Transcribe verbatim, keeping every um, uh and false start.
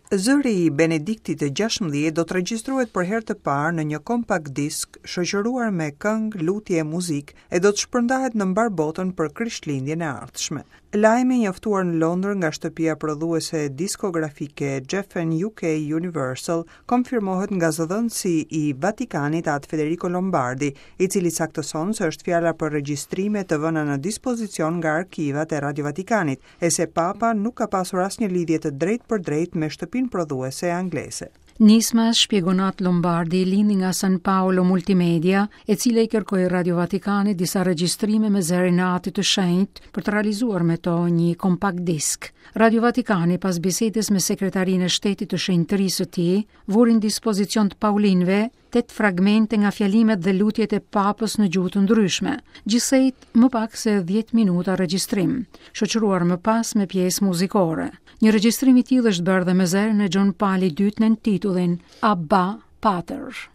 Zëri i Benediktit të gjashtëmbëdhjetë do të regjistrohet për herë të parë në një compact disc shoqëruar me këngë, lutje e muzikë e do të shpërndahet në mbar botën për Krishtlindjen e ardhshme. Lajmi, njoftuar në Londër nga shtëpia prodhuese diskografike Geffen U K Universal, konfirmohet nga zëdhënësi i Vatikanit, Atë Federico Lombardi, i cili saktëson se është fjala për regjistrime të vëna në dispozicion nga arkivat e Radio Vatikanit, e se Papa nuk ka pasur asnjë lidhje të drejtë për drejtë me shtëpinë prodhuese angleze. Nisma, shpjegon Atë Lombardi, lindi nga San Paolo Multimedia, e cila i kërkoi Radio Vatikanit disa regjistrime me zërin e Atit të Shenjtë për të realizuar me to një compact disc. Radio Vatikani, pas bisedës me sekretarinë e shtetit të shenjtërisë së tij, vuri në dispozicion të Paulinëve tetë fragmente nga fjalimet dhe lutjet e Papës në gjuhë të ndryshme, gjithsej më pak se dhjetë minuta regjistrim, shoqëruar më pas me pjesë muzikore. Një regjistrim i tillë është bërë dhe me zërin e Gjon Palit të Dytë nën titullin Abba Pater.